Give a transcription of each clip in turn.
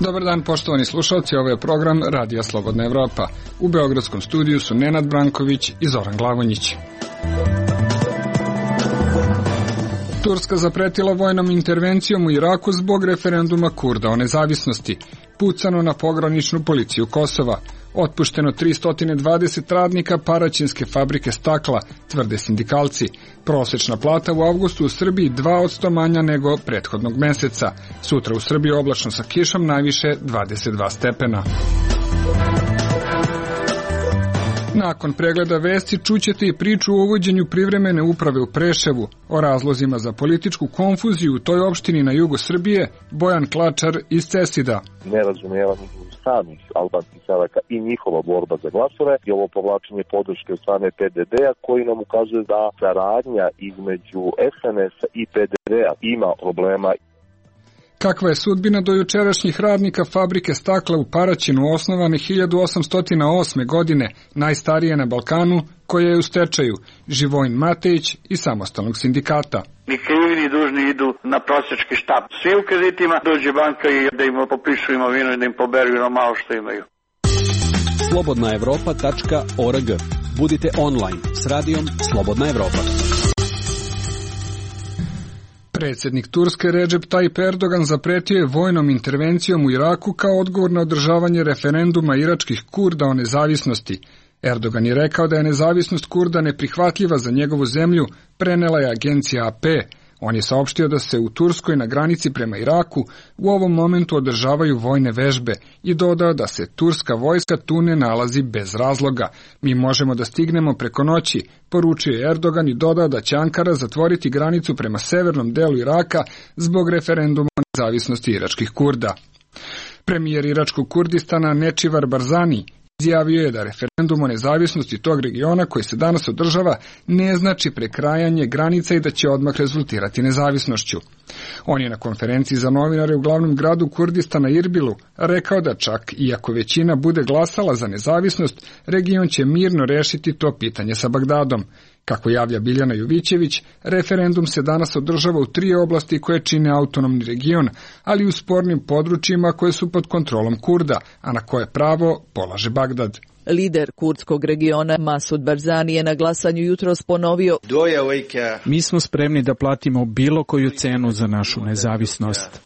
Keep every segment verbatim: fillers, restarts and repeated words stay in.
Dobar dan, poštovani slušalci, ovo je program Radija Slobodna Evropa. U beogradskom studiju su Nenad Branković i Zoran Glavonjić. Turska zapretila vojnom intervencijom u Iraku zbog referenduma Kurda o nezavisnosti. Pucano na pograničnu policiju Kosova. Otpušteno tristo dvadeset radnika Paraćinske fabrike stakla, tvrde sindikalci. Prosečna plata u avgustu u Srbiji dva posto manja nego prethodnog meseca. Sutra u Srbiji oblačno sa kišom, najviše dvadeset dva stepena. Nakon pregleda vesti čućete i priču o uvođenju privremene uprave u Preševu. O razlozima za političku konfuziju u toj opštini na jugu Srbije Bojan Klačar iz Cesida. Nerazumijevanje samih albanskih selaka i njihova borba za glasove i ovo povlačenje podrške od strane P D D-a koji nam ukazuje da saradnja između S N S-a i P D D-a ima problema. Kakva je sudbina dojučerašnjih radnika fabrike stakla u Paraćinu, osnovane hiljadu osamsto osme. godine, najstarije na Balkanu, koja je u stečaju, Živojin Matejić iz Samostalnog sindikata. Ni krivi ni dužni idu na prosjački štap. Svi u kreditima dođe banka i da im popišu imovinu i da im poberu na malo što imaju. slobodna evropa tačka org. Budite online s radijom Slobodna Evropa. Predsjednik Turske Recep Tayyip Erdogan zapretio je vojnom intervencijom u Iraku kao odgovor na održavanje referenduma iračkih Kurda o nezavisnosti. Erdogan je rekao da je nezavisnost Kurda neprihvatljiva za njegovu zemlju, prenela je agencija A P. On je saopštio da se u Turskoj na granici prema Iraku u ovom momentu održavaju vojne vežbe i dodao da se turska vojska tu ne nalazi bez razloga. Mi možemo da stignemo preko noći, poručio je Erdogan i dodao da će Ankara zatvoriti granicu prema severnom delu Iraka zbog referenduma o nezavisnosti iračkih Kurda. Premijer iračkog Kurdistana Nečivar Barzani izjavio je da referendum o nezavisnosti tog regiona koji se danas održava ne znači prekrajanje granica i da će odmah rezultirati nezavisnošću. On je na konferenciji za novinare u glavnom gradu Kurdistana Irbilu rekao da čak iako većina bude glasala za nezavisnost, region će mirno rešiti to pitanje sa Bagdadom. Kako javlja Biljana Jovićević, referendum se danas održava u tri oblasti koje čine autonomni region, ali u spornim područjima koje su pod kontrolom Kurda, a na koje pravo polaže Bagdad. Lider kurdskog regiona Masud Barzani je na glasanju jutros ponovio: Mi smo spremni da platimo bilo koju cenu za našu nezavisnost.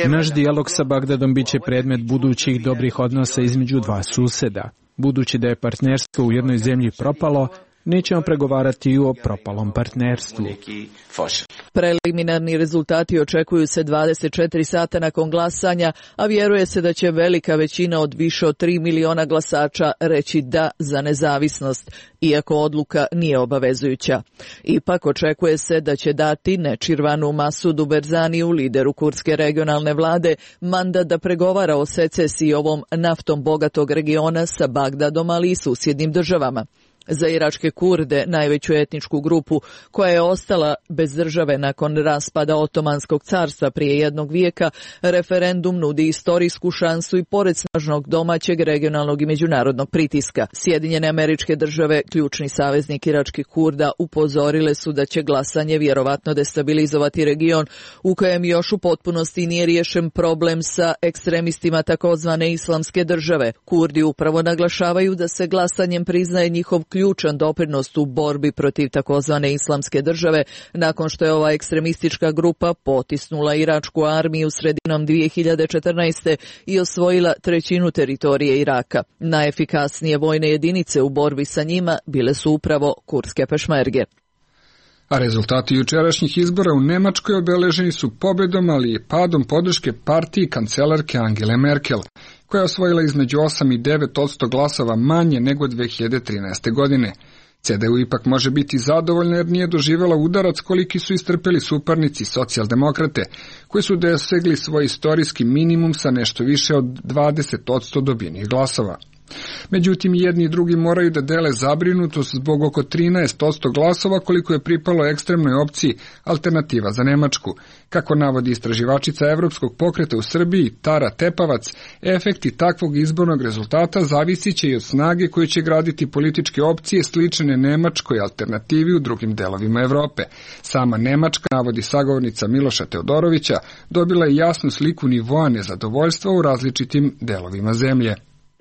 Naš dijalog sa Bagdadom biće predmet budućih dobrih odnosa između dva suseda. Budući da je partnerstvo u jednoj zemlji propalo, nećemo pregovarati i o propalom partnerstvu. Preliminarni rezultati očekuju se dvadeset četiri sata nakon glasanja, a vjeruje se da će velika većina od više od tri miliona glasača reći da za nezavisnost, iako odluka nije obavezujuća. Ipak očekuje se da će dati Nečirvanu Masudu Barzaniju, lideru kurdske regionalne vlade, mandat da pregovara o secesiji ovom naftom bogatog regiona sa Bagdadom, ali i susjednim državama. Za iračke Kurde, najveću etničku grupu koja je ostala bez države nakon raspada Otomanskog carstva prije jednog vijeka, referendum nudi istorijsku šansu i pored snažnog domaćeg, regionalnog i međunarodnog pritiska. Sjedinjene Američke Države, ključni saveznik iračkih Kurda, upozorile su da će glasanje vjerovatno destabilizovati region u kojem još u potpunosti nije riješen problem sa ekstremistima takozvane Islamske države. Kurdi upravo naglašavaju da se glasanjem priznaje njihov ključan doprinos u borbi protiv takozvane Islamske države nakon što je ova ekstremistička grupa potisnula iračku armiju sredinom dvije hiljade četrnaeste. i osvojila trećinu teritorije Iraka. Najefikasnije vojne jedinice u borbi sa njima bile su upravo kurdske pešmerge. A rezultati jučerašnjih izbora u Nemačkoj obeleženi su pobjedom, ali i padom podrške partiji kancelarke Angele Merkel, koja je osvojila između osam i devet posto glasova manje nego dve hiljade trinaeste. godine. C D U ipak može biti zadovoljna jer nije doživjela udarac koliki su istrpeli suparnici socijaldemokrate, koji su dosegli svoj istorijski minimum sa nešto više od dvadeset posto dobijenih glasova. Međutim, jedni i drugi moraju da dele zabrinutost zbog oko trinaest posto glasova koliko je pripalo ekstremnoj opciji Alternativa za Nemačku. Kako navodi istraživačica Evropskog pokreta u Srbiji Tara Tepavac, efekti takvog izbornog rezultata zavisit će i od snage koju će graditi političke opcije slične nemačkoj alternativi u drugim delovima Evrope. Sama Nemačka, navodi sagovornica Miloša Teodorovića, dobila je jasnu sliku nivoa nezadovoljstva u različitim delovima zemlje.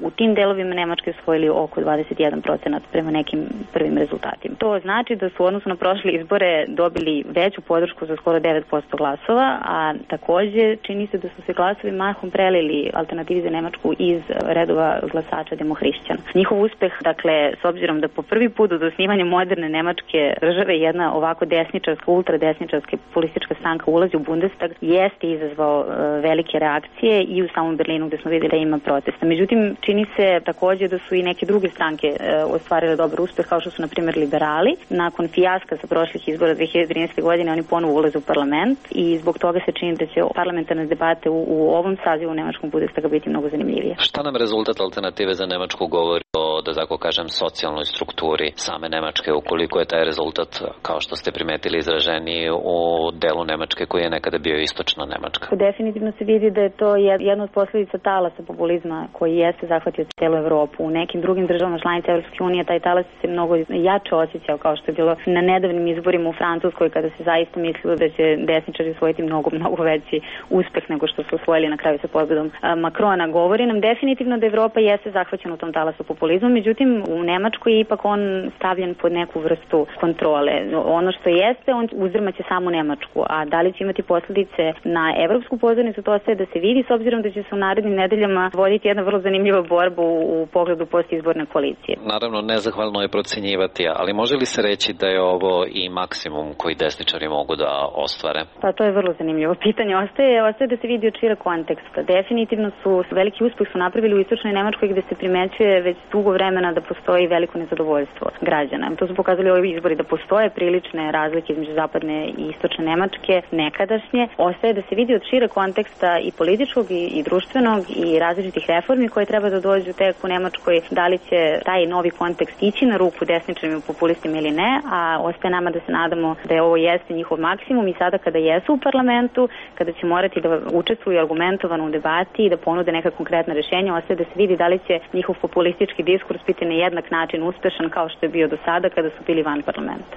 U tim delovima Nemačke osvojili oko dvadeset jedan procenat prema nekim prvim rezultatima. To znači da su u odnosu na prošle izbore dobili veću podršku za skoro devet posto glasova, a takođe čini se da su se glasovi mahom prelili Alternativi za Nemačku iz redova glasača demohrišćana. Njihov uspeh, dakle, s obzirom da po prvi put od osnivanja moderne nemačke države jedna ovako desničarska, ultradesničarska politička stranka ulazi u Bundestag, jeste izazvao e, velike reakcije i u samom Berlinu gde smo videli da ima protesta. Međutim, čini se takođe da su i neke druge stranke e, ostvarile dobar uspeh, kao što su na primjer liberali. Nakon fijaska sa prošlih izbora dve hiljade trinaeste. godine oni ponovo ulaze u parlament i zbog toga se čini da će parlamentarne debate u, u ovom sazivu nemačkom Bundestaga biti mnogo zanimljivije. Šta nam rezultat Alternative za Nemačku govori o, da tako kažem, socijalnoj strukturi same Nemačke, ukoliko je taj rezultat, kao što ste primetili, izraženiji u delu Nemačke koji je nekada bio istočna Nemačka? Definitivno se vidi da je to jedna od posljedica talasa populizma koji jeste zahvatio celu Evropu. U nekim drugim državama članica Evropske unije taj talas se mnogo jače osjećao, kao što je bilo na nedavnim izborima u Francuskoj, kada se zaista mislilo da će desničari osvojiti mnogo, mnogo veći uspeh nego što su osvojili na kraju sa pobedom Makrona. Govori nam definitivno da Evropa jeste zahvaćena u tom talasu populizmu, međutim u Nemačkoj je ipak on stavljen pod neku vrstu kontrole. Ono što jeste, on uzdrmaće samu Nemačku, a da li će imati posljedice na evropsku pozornicu, to ostaje da se vidi, s obzirom da će se u narednim nedeljama voditi jedna vrlo zanimljiva borba u pogledu postizborne koalicije. Naravno, nezahvalno je procenjivati, ali može li se reći da je ovo i maksimum koji desničari mogu da ostvare? Pa to je vrlo zanimljivo pitanje. Ostaje, ostaje da se vidi od šireg konteksta. Definitivno su veliki uspeh su napravili u istočnoj Nemačkoj, gde se primećuje već dugo vremena da postoji veliko nezadovoljstvo građana. To su pokazali ovi izbori, da postoje prilične razlike između zapadne i istočne Nemačke, nekadašnje. Ostaje da se vidi od šireg konteksta i političkog i, i društvenog i različitih reformi koje treba da dođu tek u Nemačkoj, da li će taj novi kontekst ići na ruku desničarima i populistima ili ne, a ostaje nama da se nadamo da je ovo jeste njihov maksimum i sada kada jesu u parlamentu, kada će morati da učestvuju argumentovano u debati i da ponude neka konkretna rešenja, ostaje da se vidi da li će njihov populistički diskurs biti na jednak način uspešan kao što je bio do sada kada su bili van parlamenta.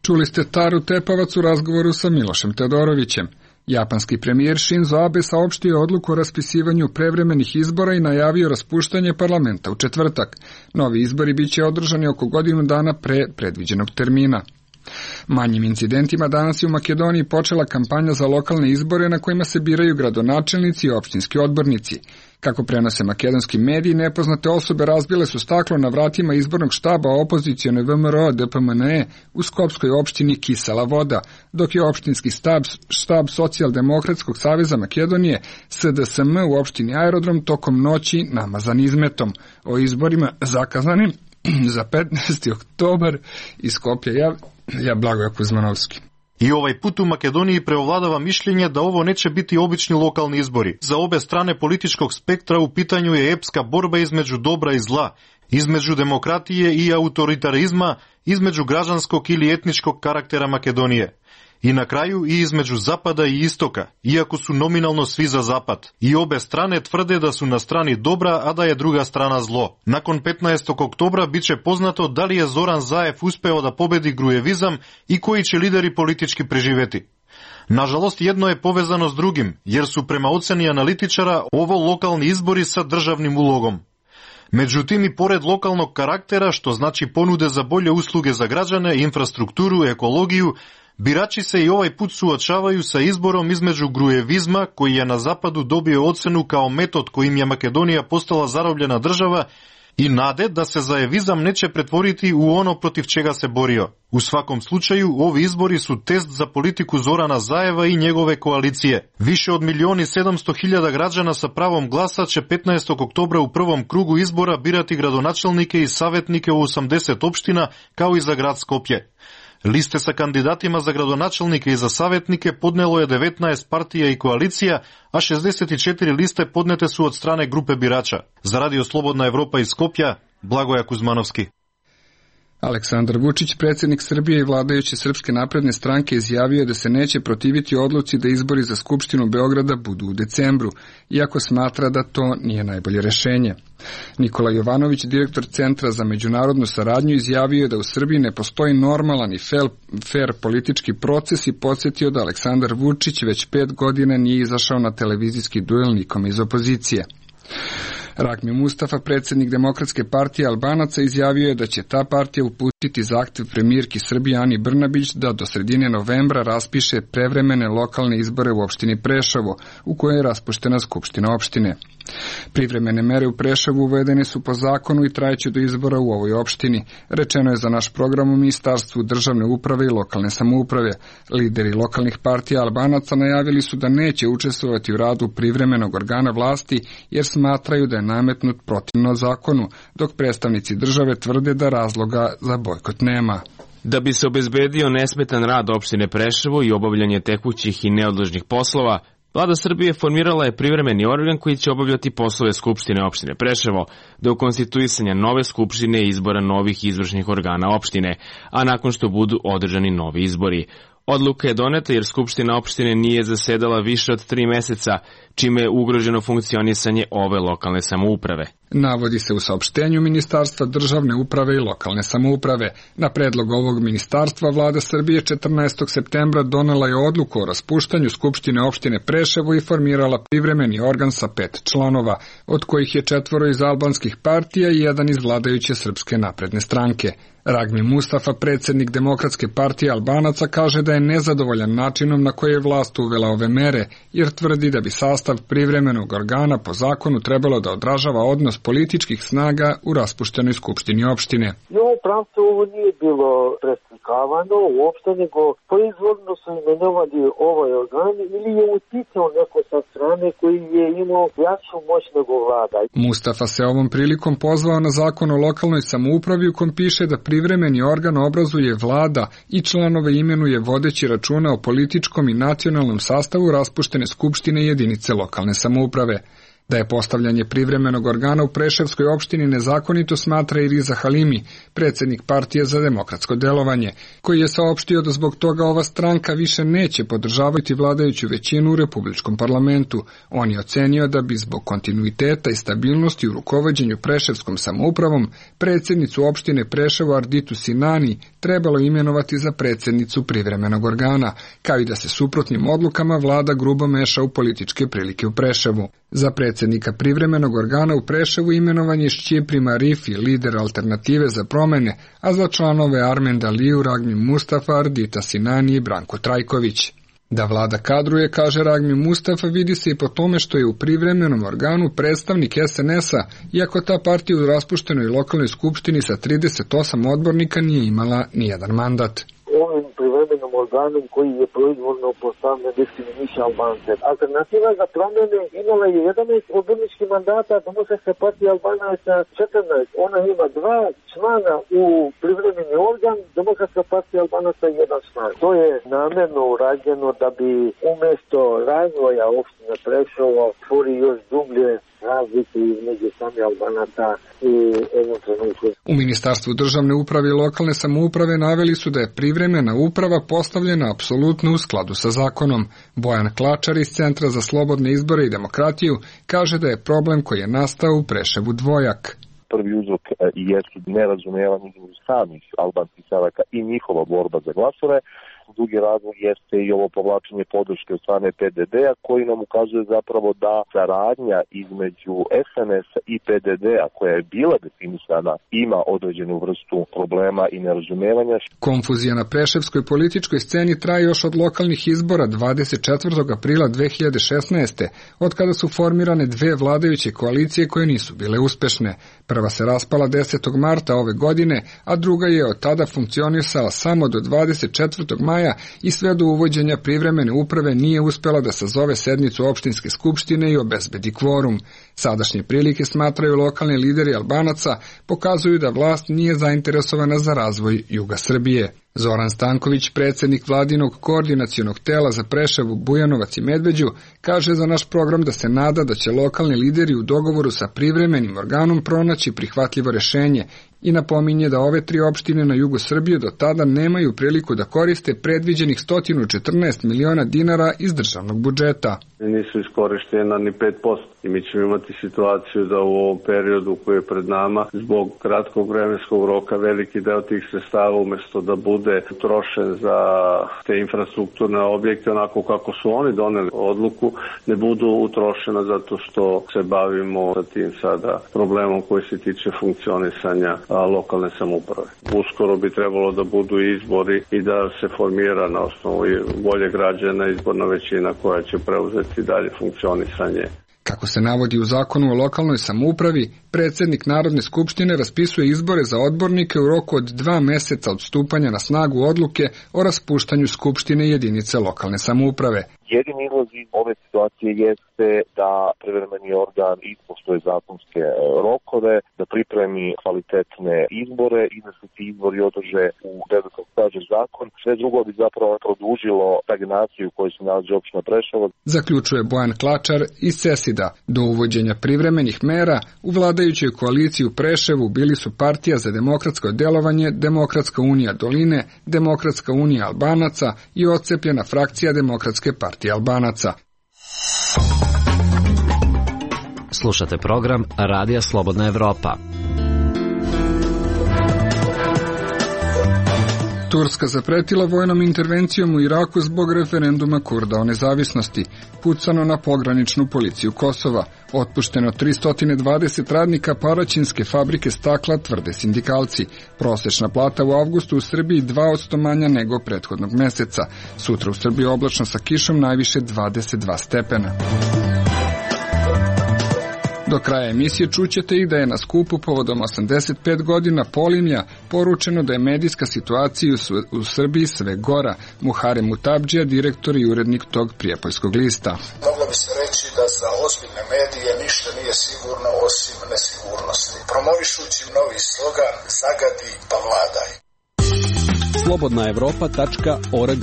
Čuli ste Taru Tepavac u razgovoru sa Milošem Teodorovićem. Japanski premijer Shinzo Abe saopštio odluku o raspisivanju prevremenih izbora i najavio raspuštanje parlamenta u četvrtak. Novi izbori biće održani oko godinu dana pre predviđenog termina. Manjim incidentima danas je u Makedoniji počela kampanja za lokalne izbore na kojima se biraju gradonačelnici i opštinski odbornici. Kako prenose makedonski mediji, nepoznate osobe razbile su staklo na vratima izbornog štaba opozicione V M R O D P M N E u skopskoj opštini Kisela Voda, dok je opštinski štab, štab Socijaldemokratskog saveza Makedonije S D S M u opštini Aerodrom tokom noći namazan izmetom. O izborima zakazanim za petnaesti oktobar iz Skopja ja, ja Blagoje Kuzmanovski. I ovaj put u Makedoniji preovladava mišljenje da ovo neće biti obični lokalni izbori. Za obe strane političkog spektra u pitanju je epska borba između dobra i zla, između demokratije i autoritarizma, između građanskog ili etničkog karaktera Makedonije. I na kraju i između zapada i istoka, iako su nominalno svi za zapad. I obe strane tvrde da su na strani dobra, a da je druga strana zlo. Nakon petnaestog oktobra biće poznato da li je Zoran Zaev uspeo da pobedi grujevizam i koji će lideri politički preživeti. Nažalost, jedno je povezano s drugim, jer su prema oceni analitičara ovo lokalni izbori sa državnim ulogom. Međutim, i pored lokalnog karaktera, što znači ponude za bolje usluge za građane, infrastrukturu, ekologiju, birači se i ovaj put suočavaju sa izborom između grujevizma, koji je na zapadu dobio ocenu kao metod kojim je Makedonija postala zarobljena država, i nade da se zaevizam neće pretvoriti u ono protiv čega se borio. U svakom slučaju, ovi izbori su test za politiku Zorana Zaeva i njegove koalicije. Više od milion i sedamsto hiljada građana sa pravom glasa će petnaestog oktobra u prvom krugu izbora birati gradonačelnike i savjetnike u osamdeset opština, kao i za grad Skopje. Liste sa kandidatima za gradonačelnike i za savjetnike podnelo je devetnaest partija i koalicija, a šezdeset četiri liste podnete su od strane grupe birača. Za Radio Slobodna Evropa iz Skopja, Blagoja Kuzmanovski. Aleksandar Vučić, predsjednik Srbije i vladajuće Srpske napredne stranke, izjavio da se neće protiviti odluci da izbori za Skupštinu Beograda budu u decembru, iako smatra da to nije najbolje rešenje. Nikola Jovanović, direktor Centra za međunarodnu saradnju, izjavio je da u Srbiji ne postoji normalan i fair politički proces i podsjetio da Aleksandar Vučić već pet godina nije izašao na televizijski duel nikome iz opozicije. Ragmi Mustafa, predsjednik Demokratske partije Albanaca, izjavio je da će ta partija uputiti zahtev premijerki Srbije Ani Brnabić da do sredine novembra raspiše prevremene lokalne izbore u opštini Preševo, u kojoj je raspuštena skupština opštine. Privremene mere u Preševu uvedene su po zakonu i trajeće do izbora u ovoj opštini, rečeno je za naš program u Ministarstvu državne uprave i lokalne samouprave. Lideri lokalnih partija Albanaca najavili su da neće učestvovati u radu privremenog organa vlasti jer smatraju da je nametnut protivno zakonu, dok predstavnici države tvrde da razloga za bojkot nema. Da bi se obezbedio nesmetan rad opštine Preševo i obavljanje tekućih i neodložnih poslova, Vlada Srbije formirala je privremeni organ koji će obavljati poslove Skupštine opštine Preševo do konstituisanja nove skupštine i izbora novih izvršnih organa opštine, a nakon što budu održani novi izbori. Odluka je doneta jer Skupština opštine nije zasedala više od tri meseca, čime je ugroženo funkcionisanje ove lokalne samouprave. Navodi se u saopštenju Ministarstva državne uprave i lokalne samouprave. Na predlog ovog ministarstva Vlada Srbije četrnaestog septembra donela je odluku o raspuštanju Skupštine opštine Preševo i formirala privremeni organ sa pet članova, od kojih je četvoro iz albanskih partija i jedan iz vladajuće Srpske napredne stranke. Ragmi Mustafa, predsjednik Demokratske partije Albanaca, kaže da je nezadovoljan načinom na koji je vlast uvela ove mere, jer tvrdi da bi sastav privremenog organa po zakonu trebalo da odražava odnos političkih snaga u raspuštenoj skupštini opštine. I ovo pravcu ovo nije bilo preslikavano uopšte, nego proizvodno su imenovali ovaj organ ili je uticao neko sa strane koji je imao jaču moć nego vlada. Mustafa se ovom prilikom pozvao na zakon o lokalnoj samoupravi u kom piše da privremeni organ obrazuje vlada i članove imenuje vodeći računa o političkom i nacionalnom sastavu raspuštene skupštine jedinice lokalne samouprave. Da je postavljanje privremenog organa u Preševskoj opštini nezakonito smatra i Riza Halimi, predsjednik partije za demokratsko delovanje, koji je saopštio da zbog toga ova stranka više neće podržavati vladajuću većinu u Republičkom parlamentu. On je ocenio da bi zbog kontinuiteta i stabilnosti u rukovođenju Preševskom samoupravom predsjednicu opštine Preševo Arditu Sinani trebalo imenovati za predsjednicu privremenog organa, kao i da se suprotnim odlukama vlada grubo meša u političke prilike u Preševu. Za predsjednika privremenog organa u Preševu imenovan je Šćipri Marifi, lider Alternative za promene, a za članove Armen Daliju, Ragmi Mustafa, Ardita Sinani i Branko Trajković. Da vlada kadruje, kaže Ragmi Mustafa, vidi se i po tome što je u privremenom organu predstavnik es en es a, iako ta partija u raspuštenoj lokalnoj skupštini sa trideset osam odbornika nije imala nijedan mandat. Ovim privremenom organom koji je proizvodno postavljen diskriminiše Albance. Alternativa za promjene imala je jedanaest odborničkih mandata, Demokratska partija Albanaca četrnaest. Ona ima dva člana u privremeni organ, Demokratska partija Albanaca jedan član. To je namjerno urađeno da bi umjesto razvoja opštine Preševo stvori još dublje razlike između sami Albanaca i eventualno. U Ministarstvu državne uprave i lokalne samouprave naveli su da je privremena uprava postavljena apsolutno u skladu sa zakonom. Bojan Klačar iz Centra za slobodne izbore i demokratiju kaže da je problem koji je nastao u Preševu dvojak. Prvi uzrok jesu nerazumijevanje između samih albanskih stranaka i njihova borba za glasove. Drugi razlog jeste i ovo povlačenje podrške od strane pe de de a koji nam ukazuje zapravo da saradnja između es en es a i pe de de a koja je bila definisana ima određenu vrstu problema i nerazumevanja. Konfuzija na preševskoj političkoj sceni traje još od lokalnih izbora dvadeset četvrtog aprila dve hiljade šesnaeste. od kada su formirane dve vladajuće koalicije koje nisu bile uspešne. Prva se raspala desetog marta ove godine, a druga je od tada funkcionisala samo do dvadeset četvrtog maja maja i sve do uvođenja privremene uprave nije uspela da sazove sednicu opštinske skupštine i obezbedi kvorum. Sadašnje prilike, smatraju lokalni lideri Albanaca, pokazuju da vlast nije zainteresovana za razvoj juga Srbije. Zoran Stanković, predsjednik vladinog koordinacionog tela za Preševo, Bujanovac i Medveđu, kaže za naš program da se nada da će lokalni lideri u dogovoru sa privremenim organom pronaći prihvatljivo rešenje i napominje da ove tri opštine na jugu Srbije do tada nemaju priliku da koriste predviđenih sto četrnaest miliona dinara iz državnog budžeta. Nisu iskorištena ni pet posto i mi ćemo imati situaciju da u ovom periodu koji je pred nama, zbog kratkog vremenskog roka, veliki deo tih sredstava umesto da bude utrošen za te infrastrukturne objekte onako kako su oni doneli odluku, ne budu utrošena zato što se bavimo sa tim sada problemom koji se tiče funkcionisanja lokalne samouprave. Uskoro bi trebalo da budu izbori i da se formira na osnovu volje građana izborna većina koja će preuzeti dalje funkcionisanje. Kako se navodi u zakonu o lokalnoj samoupravi, predsjednik Narodne skupštine raspisuje izbore za odbornike u roku od dva meseca od stupanja na snagu odluke o raspuštanju skupštine jedinice lokalne samouprave. Jedini izlaz iz ove situacije jeste da privremeni organ ispoštuje zakonske rokove, da pripremi kvalitetne izbore i da se ti izbori održe u redu kako kaže zakon. Sve drugo bi zapravo produžilo stagnaciju u kojoj se nalazi opština Preševo. Zaključuje Bojan Klačar iz Cesida. Do uvođenja privremenih mera u vladajućoj koaliciji u Preševu bili su Partija za demokratsko delovanje, Demokratska unija Doline, Demokratska unija Albanaca i odcepljena frakcija Demokratske partije Albanaca. Slušate program Radija Slobodna Evropa. Turska zapretila vojnom intervencijom u Iraku zbog referenduma Kurda o nezavisnosti. Pucano na pograničnu policiju Kosova. Otpušteno tristo dvadeset radnika Paraćinske fabrike stakla, tvrde sindikalci. Prosečna plata u avgustu u Srbiji dva posto manja nego prethodnog meseca. Sutra u Srbiji oblačno sa kišom, najviše dvadeset dva stepena. Do kraja emisije čućete i da je na skupu povodom osamdeset pet godina Polimlja poručeno da je medijska situacija u Srbiji sve gora. Muharem Mutabdžija, direktor i urednik tog prijepoljskog lista. Moglo bi se reći da za ozbiljne medije ništa nije sigurno osim nesigurnosti. Promovišući novi slogan Zagadi pa vladaj. slobodna evropa tačka org.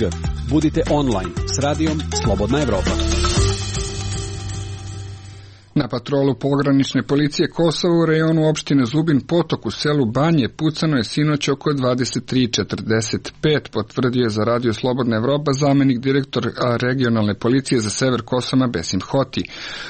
Budite online s radijom Slobodna Evropa. Na patrolu pogranične policije Kosova u rejonu opštine Zubin Potok u selu Banje pucano je sinoć oko dvadeset tri četrdeset pet, potvrdio je za Radio Slobodna Evropa zamenik direktor regionalne policije za sever Kosova Besim Hoti.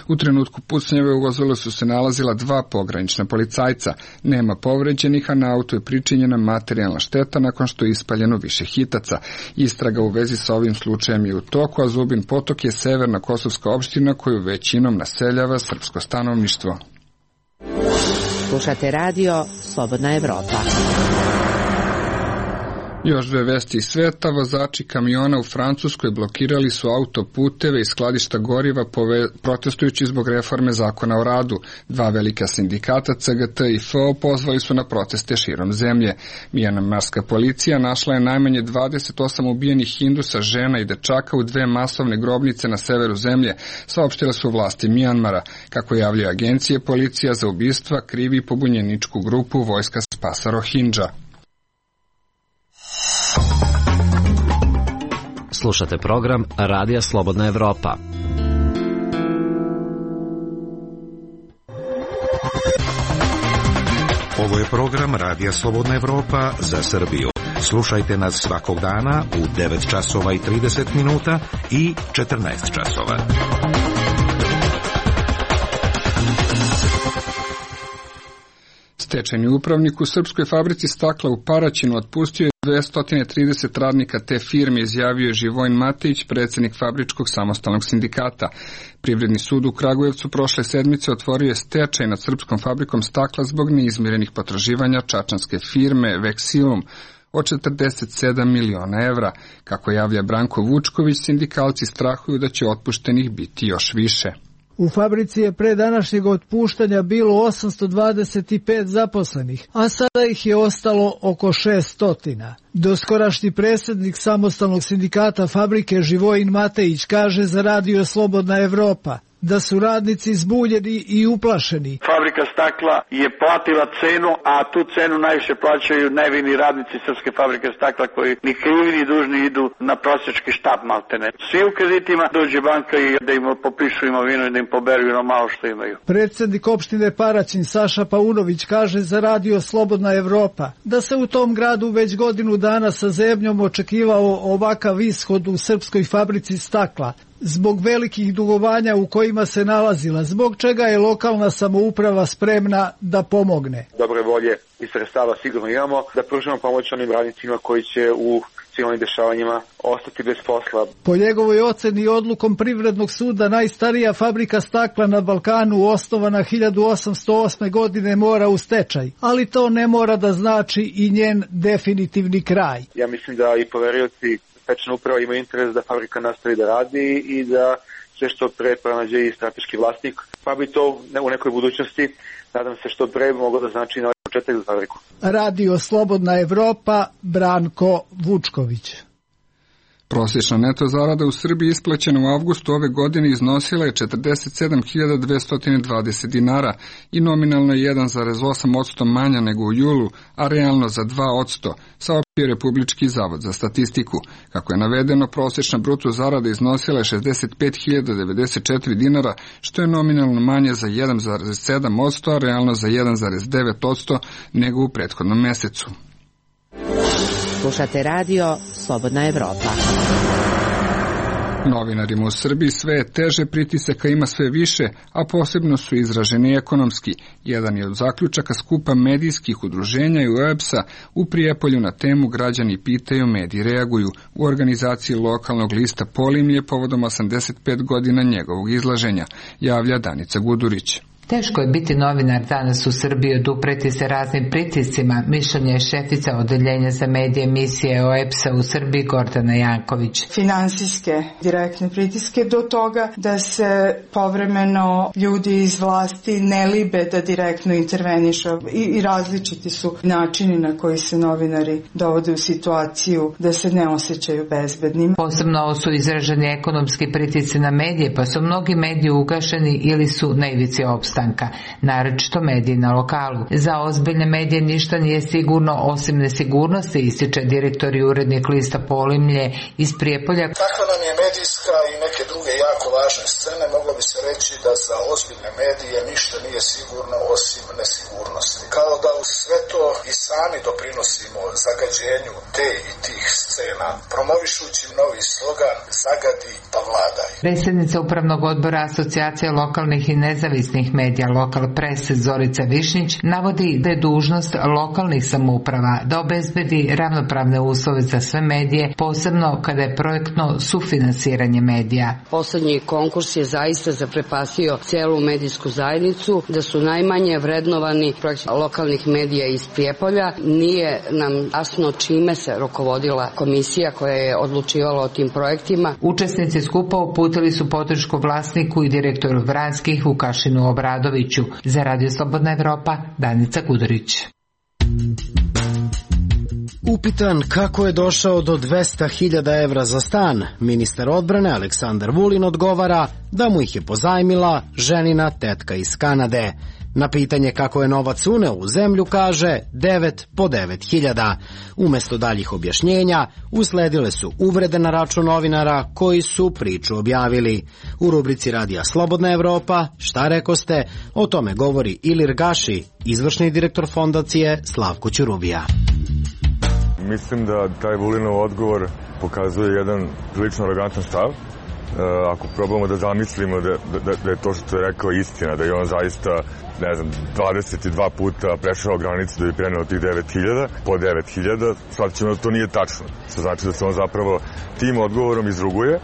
U trenutku pucnjave u vozilu su se nalazila dva pogranična policajca. Nema povređenih, a na autu je pričinjena materijalna šteta nakon što je ispaljeno više hitaca. Istraga u vezi sa ovim slučajem je u toku, a Zubin Potok je severna kosovska opština koju većinom naseljava srpsko stanovništvo. Slušate radio Slobodna Evropa. Još dve vesti iz sveta. Vozači kamiona u Francuskoj blokirali su autoputeve i skladišta goriva protestujući zbog reforme zakona o radu. Dva velika sindikata C G T i F O pozvali su na proteste širom zemlje. Mijanmarska policija našla je najmanje dvadeset osam ubijenih Hindusa, žena i dečaka u dve masovne grobnice na severu zemlje, saopštile su vlasti Mijanmara. Kako javljaju agencije, policija za ubistva krivi pobunjeničku grupu vojska spasa Rohingya. Slušate program Radija Slobodna Evropa. Ovo je program Radija Slobodna Evropa za Srbiju. Slušajte nas svakog dana u devet časova i trideset minuta i četrnaest časova. Stečajni upravnik u srpskoj fabrici stakla u Paraćinu otpustio je dvesta trideset radnika te firme, izjavio je Živojin Matejić, predsjednik Fabričkog samostalnog sindikata. Privredni sud u Kragujevcu prošle sedmice otvorio je stečaj nad srpskom fabrikom stakla zbog neizmirenih potraživanja čačanske firme Veksilum od četrdeset sedam miliona evra. Kako javlja Branko Vučković, sindikalci strahuju da će otpuštenih biti još više. U fabrici je pre današnjeg otpuštanja bilo osamsto dvadeset pet zaposlenih, a sada ih je ostalo oko šesto. Doskorašnji predsjednik samostalnog sindikata fabrike Živojin Matejić kaže za Radio Slobodna Evropa da su radnici zbunjeni i uplašeni. Fabrika stakla je platila cenu, a tu cenu najviše plaćaju nevini radnici Srpske fabrike stakla koji ni krivi ni dužni idu na prosjački štab maltene. Svi u kreditima dođe banka i da im popišu imovinu i da im poberu ono malo što imaju. Predsjednik opštine Paraćin Saša Paunović kaže za Radio Slobodna Evropa da se u tom gradu već godinu dana sa zebnjom očekivao ovakav ishod u Srpskoj fabrici stakla, zbog velikih dugovanja u kojima se nalazila, zbog čega je lokalna samouprava spremna da pomogne. Dobre volje i sredstava sigurno imamo, da pružimo pomoć onim radnicima koji će u svim ovim dešavanjima ostati bez posla. Po njegovoj oceni odlukom Privrednog suda najstarija fabrika stakla na Balkanu, osnovana hiljadu osamsto osme. godine, mora u stečaj, ali to ne mora da znači i njen definitivni kraj. Ja mislim da i poverioci stečajna uprava ima interes da fabrika nastavi da radi i da sve što pre pronađe i strateški vlasnik, pa bi to u nekoj budućnosti, nadam se, što pre moglo da znači novi početak za fabriku. Radio Slobodna Evropa, Branko Vučković. Prosječna neto zarada u Srbiji isplaćena u avgustu ove godine iznosila je četrdeset sedam hiljada dvesta dvadeset dinara i nominalno je jedan zarez osam posto manja nego u julu, a realno za dva posto, saopštio Republički zavod za statistiku. Kako je navedeno, prosječna bruto zarada iznosila je šezdeset pet hiljada devedeset četiri dinara, što je nominalno manje za jedan zarez sedam posto, a realno za jedan zarez devet posto nego u prethodnom mesecu. Slušate radio Slobodna Evropa. Novinarima u Srbiji sve je teže, pritisaka ima sve više, a posebno su izraženi ekonomski. Jedan je od zaključaka skupa medijskih udruženja i U E B S-a u Prijepolju na temu Građani pitaju, mediji reaguju, u organizaciji lokalnog lista Polimlje povodom osamdeset pet godina njegovog izlaženja, javlja Danica Gudurić. Teško je biti novinar danas u Srbiji, odupreti se raznim pritiscima, mišljenje je šefica odeljenja za medije emisije O E B S-a u Srbiji Gordana Janković. Finansijske direktne pritiske do toga da se povremeno ljudi iz vlasti ne libe da direktno intervenišu i, i različiti su načini na koji se novinari dovode u situaciju da se ne osjećaju bezbednim. Posebno su izraženi ekonomski pritisci na medije, pa su mnogi mediji ugašeni ili su na ivici opstanka. Naročito mediji na lokalu. Za ozbiljne medije ništa nije sigurno osim nesigurnosti, ističe direktor i urednik lista Polimlje iz Prijepolja. Takva nam je medijska i neke druge jako važne scene. Moglo bi se reći da za ozbiljne medije ništa nije sigurno osim nesigurnosti. Kao da u sve to i sami doprinosimo zagađenju te i tih scena, promovišući novi slogan Zagadi pa vladaj. Predsjednica Upravnog odbora Asocijacije lokalnih i nezavisnih medija Lokal Press Zorica Višnjić navodi da je dužnost lokalnih samouprava da obezbedi ravnopravne uslove za sve medije, posebno kada je projektno sufinansiranje medija. Poslednji konkurs je zaista zaprepastio celu medijsku zajednicu, da su najmanje vrednovani projekti lokalnih medija iz Prijepolja. Nije nam jasno čime se rukovodila komisija koja je odlučivala o tim projektima. Učesnici skupa uputili su podršku vlasniku i direktoru Vranskih Vukašinu Obradoviću. Za Radio Slobodna Evropa, Danica Gudurić. Upitan kako je došao do dvesta hiljada evra za stan, ministar odbrane Aleksandar Vulin odgovara da mu ih je pozajmila ženina tetka iz Kanade. Na pitanje kako je novac uneo u zemlju kaže devet po devet hiljada. Umesto daljih objašnjenja usledile su uvrede na račun novinara koji su priču objavili. U rubrici Radija Slobodna Evropa, šta rekoste, o tome govori Ilir Gaši, izvršni direktor fondacije Slavko Ćurubija. Mislim da taj Vulinov odgovor pokazuje jedan prilično arogantan stav. Ako probamo da zamislimo da, da, da je to što je rekao istina, da je on zaista, ne znam, dvadeset dva puta prešao granicu da bi preneo tih devet hiljada, po devet hiljada, sad ćemo da to nije tačno. Što znači da se on zapravo tim odgovorom izruguje,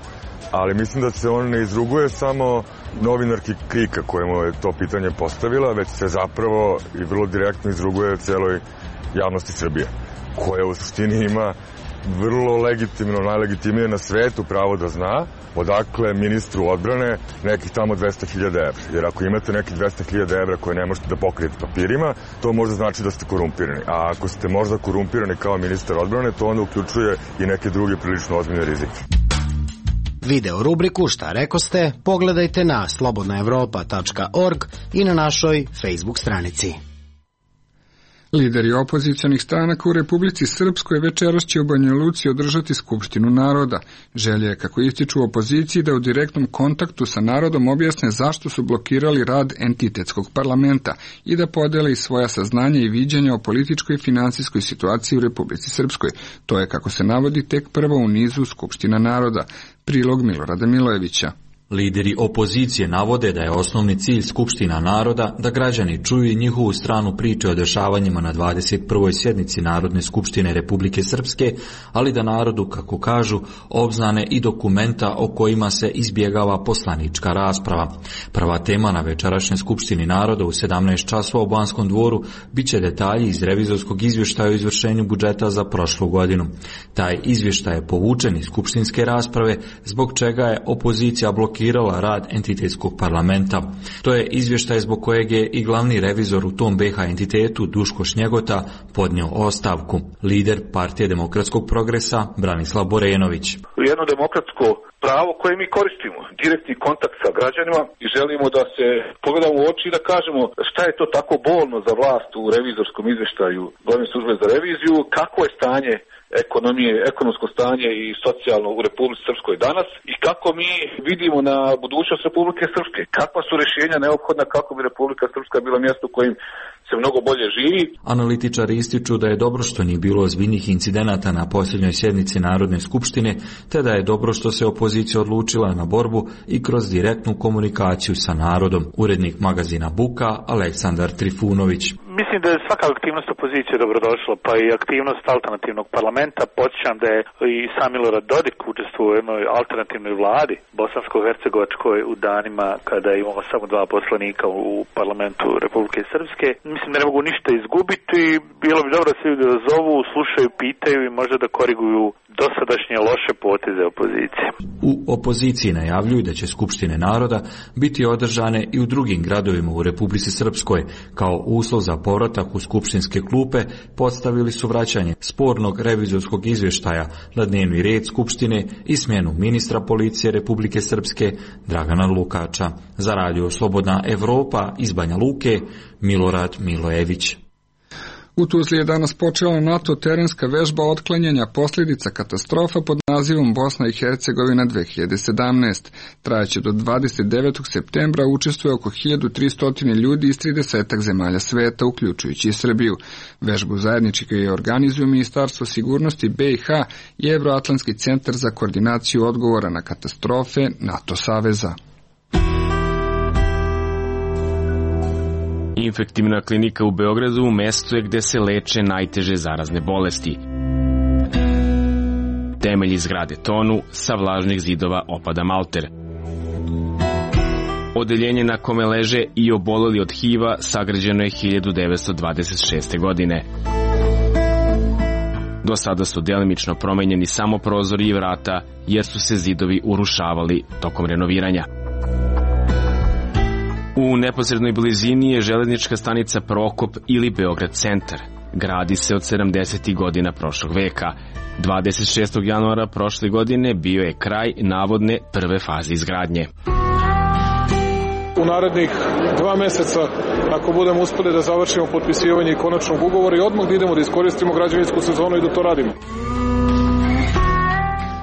ali mislim da se on ne izruguje samo novinarki Krika kojemu je to pitanje postavila, već se zapravo i vrlo direktno izruguje celoj javnosti Srbije, koja u suštini ima vrlo legitimno, najlegitimnije na svetu pravo da zna odakle ministru odbrane nekih tamo dvesta hiljada evra. Jer ako imate nekih dvesta hiljada evra koje ne možete da pokrijete papirima, to možda znači da ste korumpirani. A ako ste možda korumpirani kao ministar odbrane, to onda uključuje i neke druge prilično ozbiljne rizike. Video rubriku Šta rekoste pogledajte na slobodna evropa tačka org i na našoj Facebook stranici. Lideri opozicionih stranaka u Republici Srpskoj večeras će u Banja Luci održati Skupštinu naroda. Želja je, kako ističu u opoziciji, da u direktnom kontaktu sa narodom objasne zašto su blokirali rad entitetskog parlamenta i da podele i svoja saznanja i viđenja o političkoj i finansijskoj situaciji u Republici Srpskoj. To je, kako se navodi, tek prvo u nizu Skupština naroda. Prilog Milorada Milojevića. Lideri opozicije navode da je osnovni cilj Skupština naroda da građani čuju i njihovu stranu priče o dešavanjima na dvadeset prvoj sjednici Narodne skupštine Republike Srpske, ali da narodu, kako kažu, obznane i dokumenta o kojima se izbjegava poslanička rasprava. Prva tema na večerašnjoj Skupštini naroda u sedamnaest časova u Banskom dvoru biće detalji iz revizorskog izvještaja o izvršenju budžeta za prošlu godinu. Taj izvještaj je povučen iz skupštinske rasprave, zbog čega je opozicija blokirala rad entitetskog parlamenta. To je izvještaj zbog kojeg je i glavni revizor u tom be ha entitetu Duško Šnjegota podnio ostavku. Lider Partije demokratskog progresa Branislav Borenović. Jedno demokratsko pravo koje mi koristimo, direktni kontakt sa građanima i želimo da se pogledamo u oči i da kažemo šta je to tako bolno za vlast u revizorskom izvještaju glavne službe za reviziju, kako je stanje ekonomije, ekonomsko stanje i socijalno u Republici Srpskoj danas i kako mi vidimo na budućnost Republike Srpske, kakva su rješenja neophodna kako bi Republika Srpska bila mjesto u kojim se mnogo bolje živi. Analitičari ističu da je dobro što nije bilo ozbiljnih incidenata na posljednjoj sjednici Narodne skupštine, te da je dobro što se opozicija odlučila na borbu i kroz direktnu komunikaciju sa narodom. Urednik magazina Buka Aleksandar Trifunović. Mislim da je svaka aktivnost opozicije dobrodošla, pa i aktivnost alternativnog parlamenta. Podsjećam da je i sam Milorad Dodik učestvovao u jednoj alternativnoj vladi bosansko-hercegovačkoj u danima kada imamo samo dva poslanika u parlamentu Republike Srpske. Mislim da ne mogu ništa izgubiti. Bilo bi dobro da se ljudi zovu, slušaju, pitaju i možda da koriguju dosadašnje loše poteze opozicije. U opoziciji najavljuju da će Skupštine naroda biti održane i u drugim gradovima u Republici Srpskoj. Kao uslov za povratak u skupštinske klupe postavili su vraćanje spornog revizorskog izvještaja na dnevni red Skupštine i smjenu ministra policije Republike Srpske Dragana Lukača. Za radio Slobodna Evropa iz Banja Luke, Milorad Milojević. U Tuzli je danas počela NATO terenska vežba otklanjanja posljedica katastrofa pod nazivom Bosna i Hercegovina dve hiljade sedamnaest. Trajaće do dvadeset devetog septembra, učestvuje oko hiljadu tristo ljudi iz tridesetak zemalja sveta, uključujući i Srbiju. Vežbu zajednički je organizuju Ministarstvo sigurnosti be i ha i Evroatlantski centar za koordinaciju odgovora na katastrofe NATO saveza. Infektivna klinika u Beogradu mesto je gde se leče najteže zarazne bolesti. Temelji zgrade tonu, sa vlažnih zidova opada malter. Odeljenje na kome leže i oboleli od hiva sagrađeno je hiljadu devetsto dvadeset šeste. godine. Do sada su delimično promenjeni samo prozori i vrata, jer su se zidovi urušavali tokom renoviranja. U neposrednoj blizini je železnička stanica Prokop ili Beograd centar. Gradi se od sedamdesetih godina prošlog veka. dvadeset šestog januara prošle godine bio je kraj navodne prve faze izgradnje. U narednih dva meseca, ako budemo uspeli da završimo potpisivanje konačnog ugovora i odmah da idemo da iskoristimo građevinsku sezonu i da to radimo.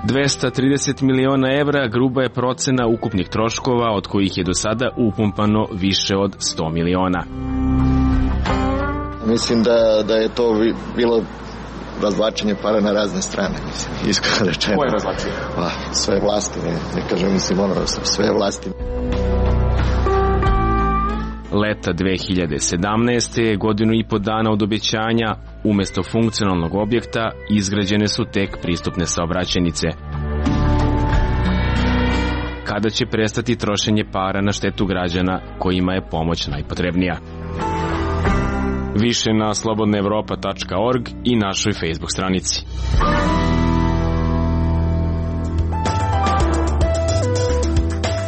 dvesta trideset miliona evra gruba je procena ukupnih troškova, od kojih je do sada upumpano više od sto miliona. Mislim da, da je to bilo razvlačenje para na razne strane, mislim, iskreno rečeno. Koje razvlačenje? Pa, sve vlasti, ne, ne kažem, mislim, ono, sve vlasti. Leta dve hiljade sedamnaeste. godinu i po dana od obećanja, umesto funkcionalnog objekta izgrađene su tek pristupne saobraćajnice. Kada će prestati trošenje para na štetu građana kojima je pomoć najpotrebnija? Više na slobodna evropa tačka org i našoj Facebook stranici.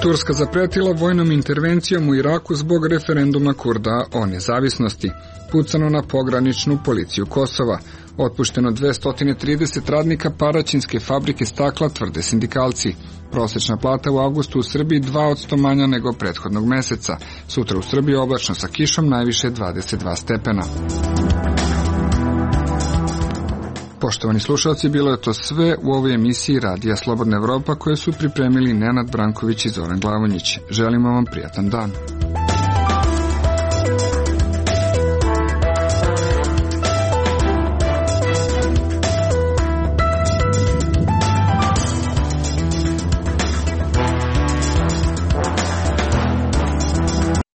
Turska zapretila vojnom intervencijom u Iraku zbog referenduma Kurda o nezavisnosti. Pucano na pograničnu policiju Kosova. Otpušteno dvesta trideset radnika Paraćinske fabrike stakla, tvrde sindikalci. Prosečna plata u avgustu u Srbiji dva posto manja nego prethodnog meseca. Sutra u Srbiji oblačno sa kišom, najviše dvadeset dva stepena. Poštovani slušalci, bilo je to sve u ovoj emisiji Radija Slobodna Evropa koje su pripremili Nenad Branković i Zoran Glavonjić. Želimo vam prijatan dan.